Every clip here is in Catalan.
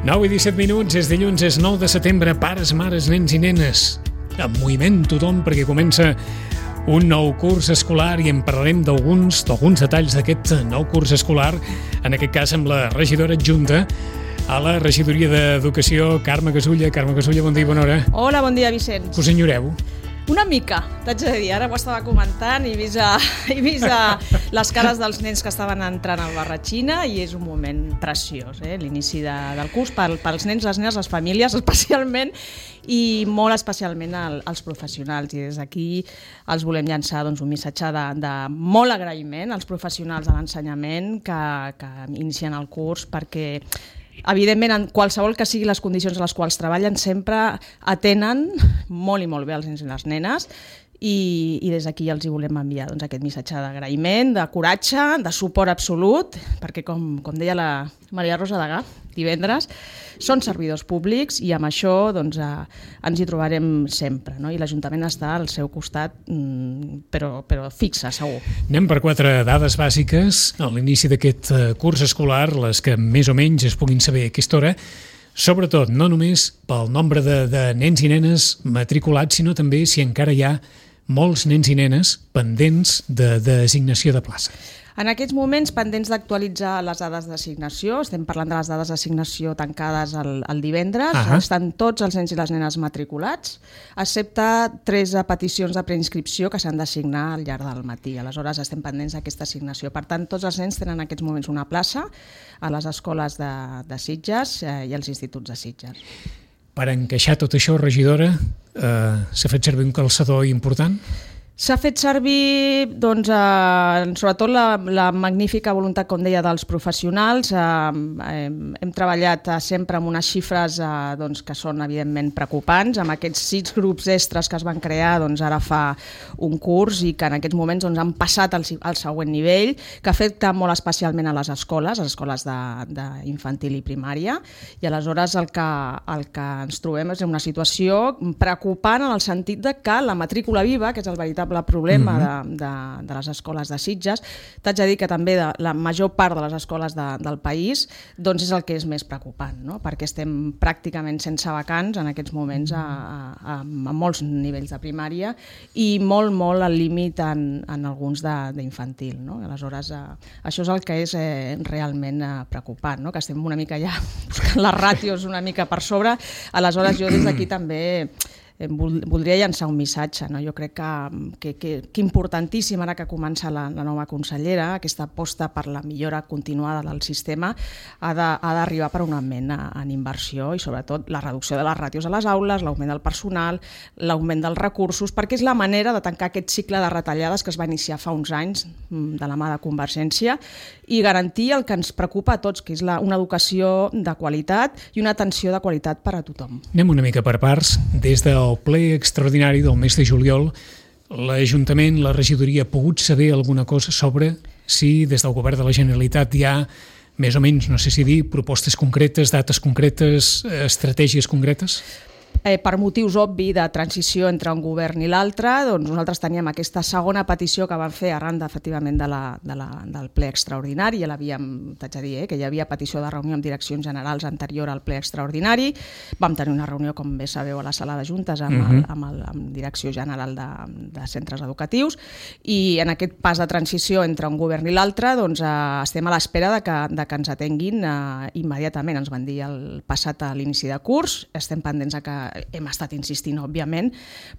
9 i 17 minuts, és dilluns, és 9 de setembre, pares, mares, nens i nenes. En moviment tothom, perquè comença un nou curs escolar i en parlarem d'alguns detalls d'aquest nou curs escolar, en aquest cas amb la regidora adjunta a la regidoria d'Educació, Carme Casulla. Carme Casulla, bon dia i bona hora. Hola, bon dia, Vicenç. Us enyoreu? Una mica, t'haig de dir, ara ho estava comentant i he vist les cares dels nens que estaven entrant al Barratxina i és un moment preciós, l'inici del curs pels nens, les nenes, les famílies especialment i molt especialment als professionals, i des d'aquí els volem llançar un missatge de molt agraïment als professionals de l'ensenyament que inicien el curs, perquè evidentment, en qualsevol que siguin les condicions en les quals treballen, sempre atenen molt i molt bé els nens i les nenes i des d'aquí els hi volem enviar aquest missatge d'agraïment, de coratge, de suport absolut, perquè com deia la Maria Rosa Degà divendres, són servidors públics i amb això ens hi trobarem sempre, no? I l'Ajuntament està al seu costat, però fixa, segur. Anem per 4 dades bàsiques a l'inici d'aquest curs escolar, les que més o menys es puguin saber a aquesta hora, sobretot no només pel nombre de nens i nenes matriculats, sinó també si encara hi ha molts nens i nenes pendents de designació de plaça. En aquests moments, pendents d'actualitzar les dades d'assignació, estem parlant de les dades d'assignació tancades el divendres, estan tots els nens i les nenes matriculats, excepte 3 peticions de preinscripció que s'han d'assignar al llarg del matí. Aleshores, estem pendents d'aquesta assignació. Per tant, tots els nens tenen en aquests moments una plaça a les escoles de Sitges i als instituts de Sitges. Per encaixar tot això, regidora, s'ha fet servir un calçador important? S'ha fet servir, sobretot la magnífica voluntat, com deia, dels professionals. Hem treballat sempre amb unes xifres que són, evidentment, preocupants. Amb aquests 6 grups extres que es van crear ara fa un curs i que en aquests moments han passat al següent nivell, que afecta molt especialment a les escoles d'infantil i primària. I aleshores el que ens trobem és una situació preocupant en el sentit de que la matrícula viva, que és el veritable problema de les escoles de Sitges, t'haig de dir que també de la major part de les escoles del país és el que és més preocupant, no? Perquè estem pràcticament sense vacants en aquests moments a molts nivells de primària i molt al límit en alguns d'infantil, no? Aleshores, això és el que és realment preocupant, no? Que estem una mica ja buscant les ràtios una mica per sobre. Aleshores, jo des d'aquí també voldria llançar un missatge, no? Jo crec que importantíssim, ara que comença la nova consellera, aquesta aposta per la millora continuada del sistema ha d'arribar per un augment en inversió i sobretot la reducció de les ràtios a les aules, l'augment del personal, l'augment dels recursos, perquè és la manera de tancar aquest cicle de retallades que es va iniciar fa uns anys de la mà de Convergència i garantir el que ens preocupa a tots, que és una educació de qualitat i una atenció de qualitat per a tothom. Anem una mica per parts. Des del ple extraordinari del mes de juliol, l'Ajuntament, la regidoria, ha pogut saber alguna cosa sobre si des del govern de la Generalitat hi ha més o menys, no sé si dir, propostes concretes, dates concretes, estratègies concretes? Per motius obvis de transició entre un govern i l'altre, nosaltres teníem aquesta segona petició que van fer arran efectivament del ple extraordinari. Ja l'havíem, t'haig de dir, que hi havia petició de reunió amb direccions generals anterior al ple extraordinari. Vam tenir una reunió, com bé sabeu, a la sala de juntes amb Direcció General de Centres Educatius i en aquest pas de transició entre un govern i l'altre estem a l'espera de que ens atenguin immediatament. Ens van dir el passat a l'inici de curs, estem pendents que hem estat insistint, òbviament,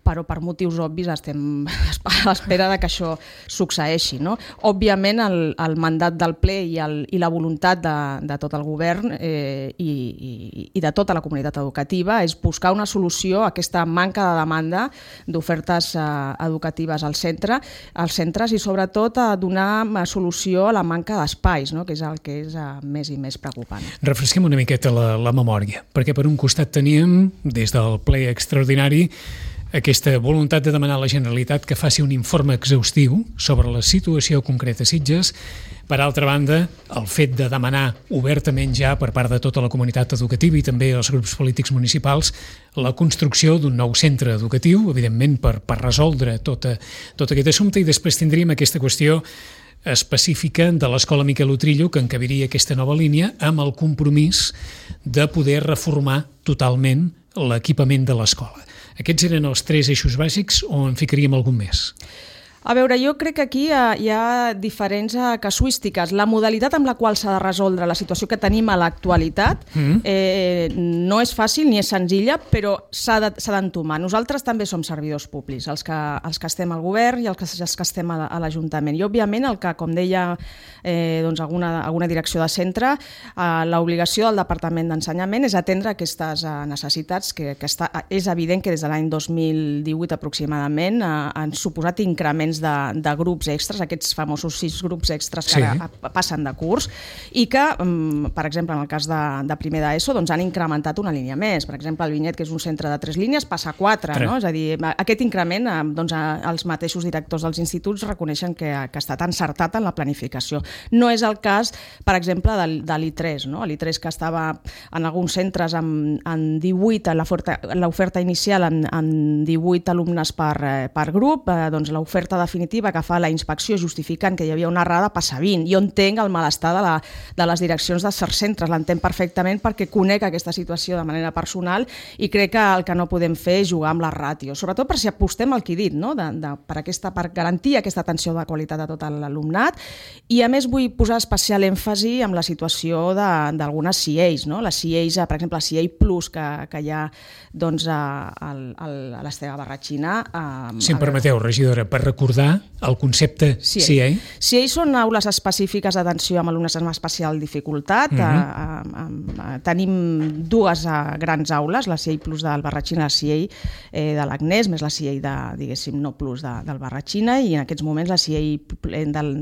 però per motius obvis estem a l'espera que això succeeixi, no? Òbviament, el mandat del ple i la voluntat de tot el govern i de tota la comunitat educativa és buscar una solució a aquesta manca de demanda d'ofertes educatives als centres i sobretot a donar solució a la manca d'espais, no? Que és el que és més i més preocupant. Refresquem una miqueta la memòria, perquè per un costat teníem, des del ple extraordinari, aquesta voluntat de demanar a la Generalitat que faci un informe exhaustiu sobre la situació concreta a Sitges. Per altra banda, el fet de demanar obertament ja per part de tota la comunitat educativa i també els grups polítics municipals la construcció d'un nou centre educatiu, evidentment per resoldre tot aquest assumpte, i després tindríem aquesta qüestió específica de l'Escola Miquel Utrillo que encabiria aquesta nova línia amb el compromís de poder reformar totalment l'equipament de l'escola. Aquests eren els 3 eixos bàsics o en ficaríem algun més? A veure, jo crec que aquí hi ha diferents casuístiques. La modalitat amb la qual s'ha de resoldre la situació que tenim a l'actualitat no és fàcil ni és senzilla, però s'ha d'entomar. Nosaltres també som servidors públics, els que estem al govern i els que estem a l'Ajuntament. I, òbviament, el que, com deia alguna direcció de centre, l'obligació del Departament d'Ensenyament és atendre aquestes necessitats que és evident que des de l'any 2018 aproximadament han suposat increments de grups extras, aquests famosos 6 grups extras que ara passen de curs i que, per exemple, en el cas de primer d'ESO, han incrementat una línia més. Per exemple, el Vinyet, que és un centre de 3 línies, passa a 4. No? És a dir, aquest increment, els mateixos directors dels instituts reconeixen que ha estat encertat en la planificació. No és el cas, per exemple, de l'I3. No? L'I3, que estava en alguns centres en 18, l'oferta inicial en 18 alumnes per grup, l'oferta definitiva que fa la inspecció justificant que hi havia una errada passa 20. Jo entenc el malestar de les direccions de certs centres, l'entenc perfectament perquè conec aquesta situació de manera personal i crec que el que no podem fer és jugar amb les ràtios, sobretot per si apostem al que he dit, no? per garantir aquesta atenció de qualitat a tot l'alumnat. I a més vull posar especial èmfasi en la situació d'algunes CIEIs, no? La CIEIs, per exemple, la CIEI Plus que hi ha a l'Esteve Barratxina. Si em permeteu, regidora, per recordar el concepte CIEI. CIEI són aules específiques d'atenció amb alumnes amb especial dificultat. Tenim 2 grans aules, la CIEI Plus del Barratxina, la CIEI de l'Agnès, més la CIEI diguéssim, no Plus del Barratxina, i en aquests moments la CIEI del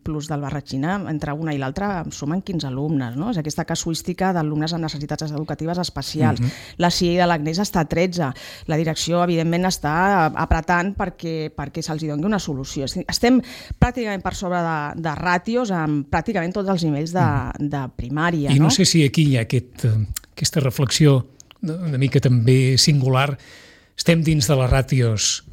Plus del Barratxina, entre una i l'altra, sumen 15 alumnes. No? És aquesta casuística d'alumnes amb necessitats educatives especials. La CIEI de l'Agnès està a 13. La direcció, evidentment, està apretant perquè se'ls doni una solució. Estem pràcticament per sobre de ràtios amb pràcticament tots els nivells de primària. I no sé si aquí hi ha aquesta reflexió una mica també singular. Estem dins de les ràtios,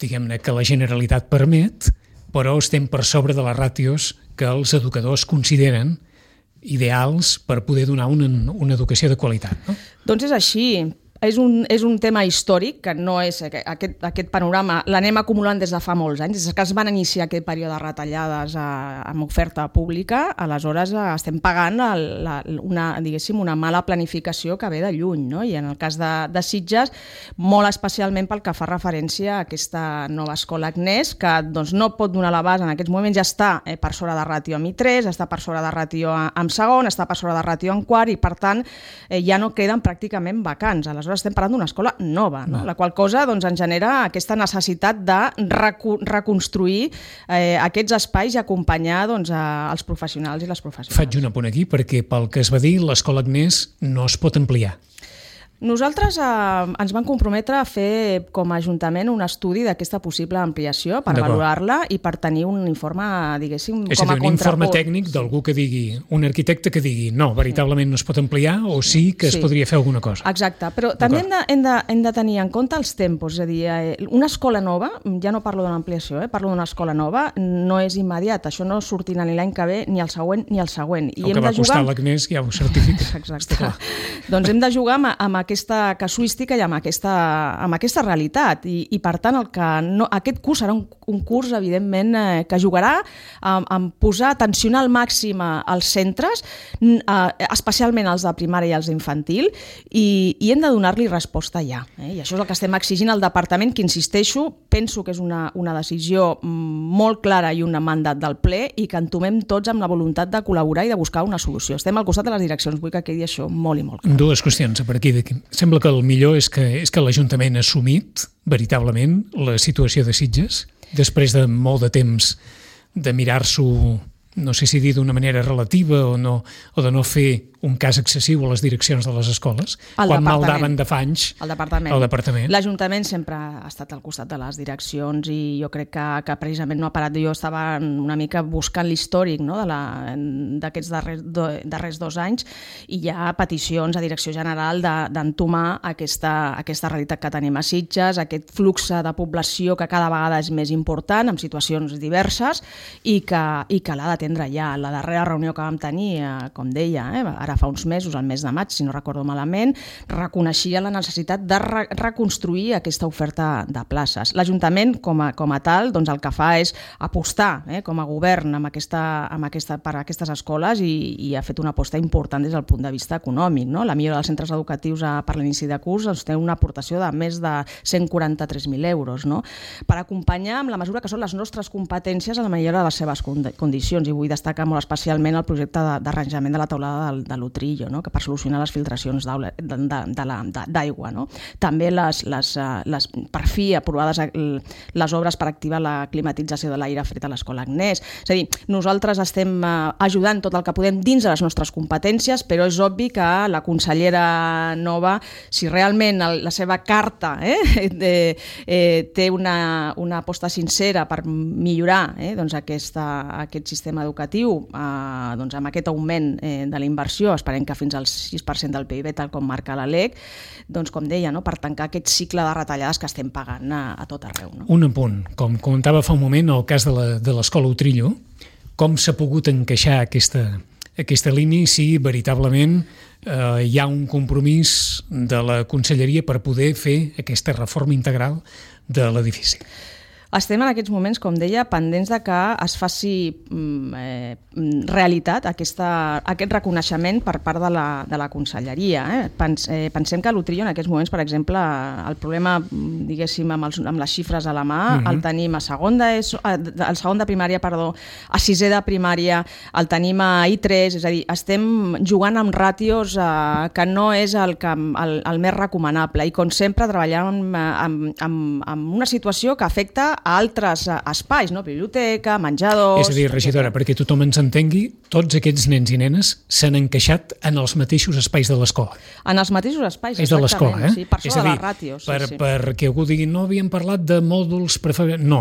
diguem-ne, que la Generalitat permet, però estem per sobre de les ràtios que els educadors consideren ideals per poder donar una educació de qualitat. No? Doncs és així. És un tema històric, que no és aquest panorama, l'anem acumulant des de fa molts anys, des que es van iniciar aquest període de retallades amb oferta pública, aleshores estem pagant una mala planificació que ve de lluny, no? I en el cas de Sitges, molt especialment pel que fa referència a aquesta nova escola Agnès, que no pot donar l'abast en aquests moments, ja està per sobre de ràtio amb I3, està per sobre de ràtio amb segon, està per sobre de ràtio amb quart, i per tant ja no queden pràcticament vacants. Aleshores estem parlant d'una escola nova, no? La qual cosa ens genera aquesta necessitat de reconstruir aquests espais i acompanyar els professionals i les professionals. Faig un apunt aquí perquè pel que es va dir l'escola Agnès no es pot ampliar. Nosaltres ens vam comprometre a fer com a Ajuntament un estudi d'aquesta possible ampliació per valorar-la i per tenir un informe, diguéssim, com a contrapost. Un informe tècnic d'algú que digui, un arquitecte que digui no, veritablement no es pot ampliar o sí que es podria fer alguna cosa. Exacte, però també hem de tenir en compte els tempos, és a dir, una escola nova, ja no parlo d'una ampliació, parlo d'una escola nova, no és immediat, això no sortirà ni l'any que ve, ni el següent, ni el següent. El que va costar l'Agnès ja ho certifica. Exacte. Doncs hem de jugar amb aquesta casuística i amb aquesta realitat i per tant aquest curs serà un curs evidentment que jugarà en posar, tensionar al màxim als centres, especialment els de primària i els d'infantil, i hem de donar-li resposta ja. I això és el que estem exigint al departament, que insisteixo, penso que és una decisió molt clara i un mandat del ple i que entomem tots amb la voluntat de col·laborar i de buscar una solució. Estem al costat de les direccions, vull que quedi això molt i molt clar. 2 qüestions a partir d'aquí. Sembla que el millor és que l'Ajuntament ha assumit veritablement la situació de Sitges després de molt de temps de mirar-s'ho no sé si dir d'una manera relativa o de no fer un cas excessiu a les direccions de les escoles, quan maldaven de fa anys el departament. L'Ajuntament sempre ha estat al costat de les direccions i jo crec que precisament no ha parat. Jo estava una mica buscant l'històric, no?, d'aquests darrers 2 anys, i hi ha peticions a Direcció General d'entomar aquesta realitat que tenim a Sitges, aquest flux de població que cada vegada és més important, amb situacions diverses, i que l'ha d'atendre ja. La darrera reunió que vam tenir, com deia, ara fa uns mesos, el mes de maig, si no recordo malament, reconeixia la necessitat de reconstruir aquesta oferta de places. L'Ajuntament, com a tal, doncs el que fa és apostar com a govern per aquestes escoles i ha fet una aposta important des del punt de vista econòmic. No? La millora dels centres educatius per l'inici de curs té una aportació de més de 143.000 euros, no? Per acompanyar amb la mesura que són les nostres competències a la millora de les seves condicions. I vull destacar molt especialment el projecte d'arranjament de la teulada de l'Utrillo, no?, que per solucionar les filtracions d'aigua. No? També per fi aprovades les obres per activar la climatització de l'aire fred a l'escola Agnès. És a dir, nosaltres estem ajudant tot el que podem dins de les nostres competències, però és obvi que la consellera nova, si realment la seva carta té una aposta sincera per millorar doncs aquest sistema educatiu doncs amb aquest augment de la inversió, esperem que fins al 6% del PIB, tal com marca la LEC, doncs com deia, per tancar aquest cicle de retallades que estem pagant a tot arreu. No? Un apunt, com comentava fa un moment, el cas de l'escola Utrillo, com s'ha pogut encaixar aquesta línia si veritablement hi ha un compromís de la Conselleria per poder fer aquesta reforma integral de l'edifici? Estem en aquests moments, com deia, pendents de que es faci realitat aquest reconeixement per part de la Conselleria. Pensem que l'Utrillo en aquests moments, per exemple, el problema, diguéssim, amb les xifres a la mà, el tenim al segon de primària, a sisè de primària, el tenim a I3, és a dir, estem jugant amb ràtios que no és el més recomanable i, com sempre, treballant amb una situació que afecta a altres espais, no? Biblioteca, menjadors... És a dir, regidora, perquè tothom ens entengui, tots aquests nens i nenes s'han encaixat en els mateixos espais de l'escola. En els mateixos espais, és exactament. És de l'escola, sí, per sobre de les ràtios. Perquè algú digui, no havíem parlat de mòduls prefabricats... No,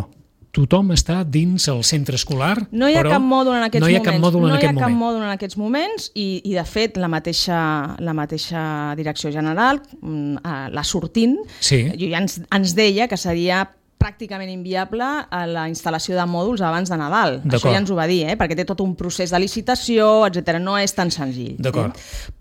tothom està dins el centre escolar, no hi ha cap mòdul en aquests moments. No hi ha cap mòdul en aquests moments i de fet, la mateixa Direcció General, la sortint, ja ens deia que seria pràcticament inviable a la instal·lació de mòduls abans de Nadal. Això ja ens ho va dir, perquè té tot un procés de licitació, etc. No és tan senzill.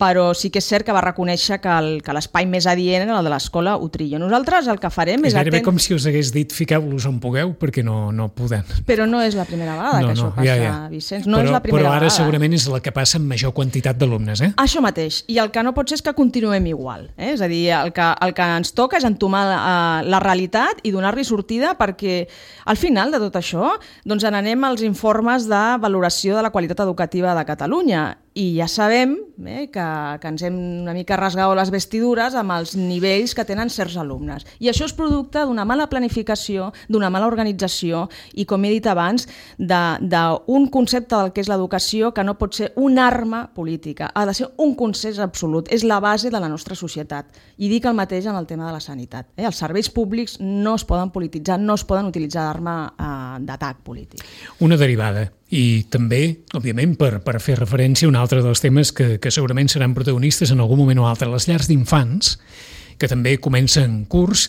Però sí que és cert que va reconèixer que l'espai més adient era el de l'escola Utrillo. Nosaltres el que farem és... És gairebé com si us hagués dit fiqueu-los on pugueu, perquè no podem. Però no és la primera vegada que això passa, Vicenç. No és la primera vegada. Però ara segurament és la que passa amb major quantitat d'alumnes, Això mateix. I el que no pot ser és que continuem igual. És a dir, el que ens toca és entomar la realitat i donar-li sortida, perquè al final de tot això doncs n'anem als informes de valoració de la qualitat educativa de Catalunya i ja sabem que ens hem una mica rasgat les vestidures amb els nivells que tenen certs alumnes. I això és producte d'una mala planificació, d'una mala organització i, com he dit abans, d'un concepte del que és l'educació que no pot ser una arma política, ha de ser un consens absolut, és la base de la nostra societat. I dic el mateix en el tema de la sanitat. Els serveis públics no es poden polititzar, no es poden utilitzar d'arma d'atac polític. Una derivada. I també, òbviament, per fer referència a un altre dels temes que segurament seran protagonistes en algun moment o altre, les llars d'infants, que també comencen curs.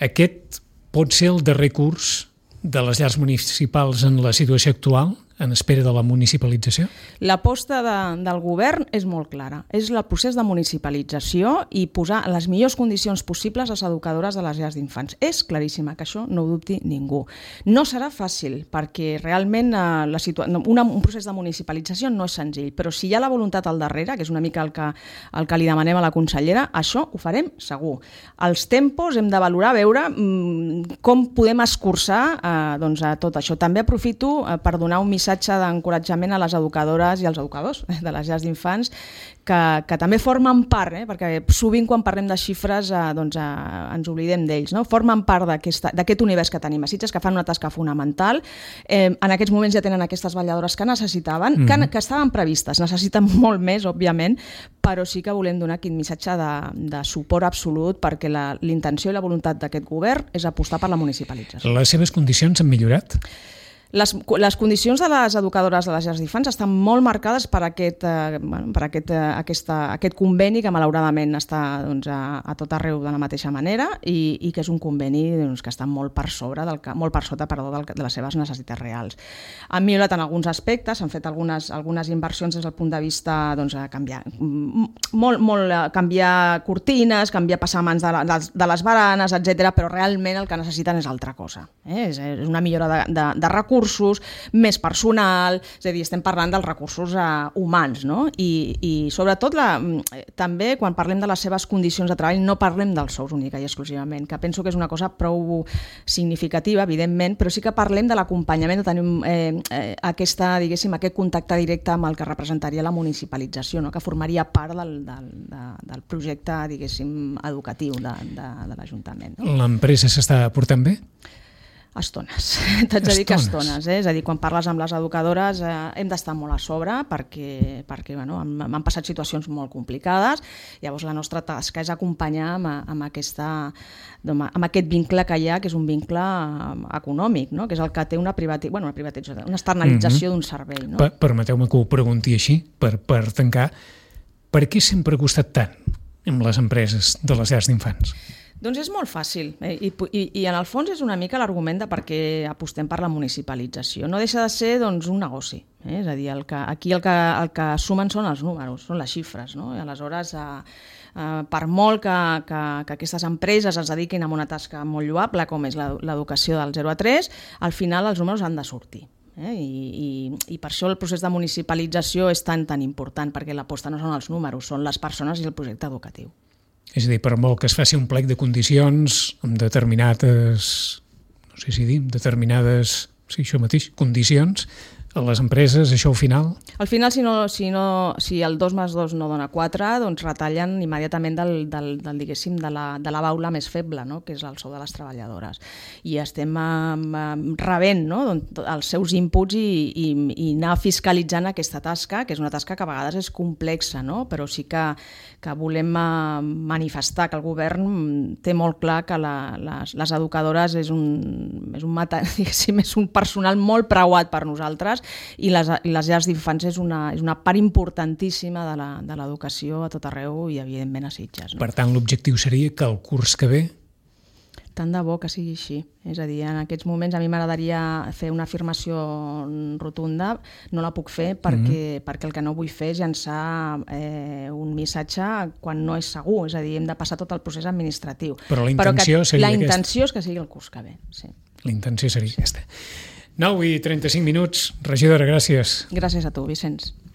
Aquest pot ser el darrer curs de les llars municipals en la situació actual, en espera de la municipalització? L'aposta del govern és molt clara. És el procés de municipalització i posar les millors condicions possibles a les educadores de les llars d'infants. És claríssima, que això no ho dubti ningú. No serà fàcil, perquè realment un procés de municipalització no és senzill, però si hi ha la voluntat al darrere, que és una mica el que li demanem a la consellera, això ho farem segur. Els tempos hem de valorar, veure com podem escurçar a tot això. També aprofito per donar un missatge missatge d'encoratjament a les educadores i als educadors de les llars d'infants, que també formen part, perquè sovint quan parlem de xifres ens oblidem d'ells, no? Formen part d'aquest univers que tenim a Sitges, que fan una tasca fonamental. En aquests moments ja tenen aquestes vetlladores que necessitaven, que estaven previstes, necessiten molt més, òbviament, però sí que volem donar aquest missatge de suport absolut, perquè l'intenció i la voluntat d'aquest govern és apostar per la municipalització. Les seves condicions han millorat? Les condicions de les educadores de les llars d'infants estan molt marcades per aquest conveni que malauradament està a tot arreu de la mateixa manera i que és un conveni que està molt per sota de les seves necessitats reals. Han millorat en alguns aspectes, han fet algunes inversions des del punt de vista canviar cortines, canviar passamans de les baranes, etc. Però realment el que necessiten és altra cosa. És una millora de recursos, més personal, és a dir, estem parlant dels recursos humans, no? I sobretot també quan parlem de les seves condicions de treball no parlem dels sous única i exclusivament, que penso que és una cosa prou significativa, evidentment, però sí que parlem de l'acompanyament, de tenir aquest contacte directe amb el que representaria la municipalització, no? Que formaria part del projecte, educatiu de l'Ajuntament. No? L'empresa s'està portant bé? Estones, t'haig de dir que estones, és a dir, quan parles amb les educadores hem d'estar molt a sobre perquè m'han passat situacions molt complicades, llavors la nostra tasca és acompanyar amb aquest vincle que hi ha, que és un vincle econòmic, no? Que és el que té una privatització, una externalització d'un servei. No? Permeteu-me que ho pregunti així, per tancar, per què sempre ha costat tant amb les empreses de les llars d'infants? Doncs és molt fàcil i en el fons és una mica l'argument de per què apostem per la municipalització. No deixa de ser un negoci, és a dir, aquí el que sumen són els números, són les xifres, no? I aleshores, per molt que aquestes empreses es dediquin a una tasca molt lloable com és l'educació del 0 a 3, al final els números han de sortir. I per això el procés de municipalització és tan important, perquè l'aposta no són els números, són les persones i el projecte educatiu. És a dir, per molt que es faci un plec de condicions amb determinades condicions, a les empreses, això al final... Al final, si el 2 més 2 no dona 4, doncs retallen immediatament de la baula més feble, no? Que és el sou de les treballadores. I estem rebent, no? Els seus inputs i anar fiscalitzant aquesta tasca, que és una tasca que a vegades és complexa, no? Però sí que volem manifestar que el govern té molt clar que les educadores és un personal molt preuat per nosaltres, i les llars d'infants és una part importantíssima de l'educació a tot arreu i evidentment a Sitges. No? Per tant, l'objectiu seria que el curs que ve... Tant de bo que sigui així. És a dir, en aquests moments a mi m'agradaria fer una afirmació rotunda, no la puc fer perquè el que no vull fer és llançar un missatge quan no és segur, és a dir, hem de passar tot el procés administratiu. Però la intenció seria aquesta. La intenció és que sigui el curs que ve, sí. La intenció seria aquesta. 9:35, regidora, gràcies. Gràcies a tu, Vicenç.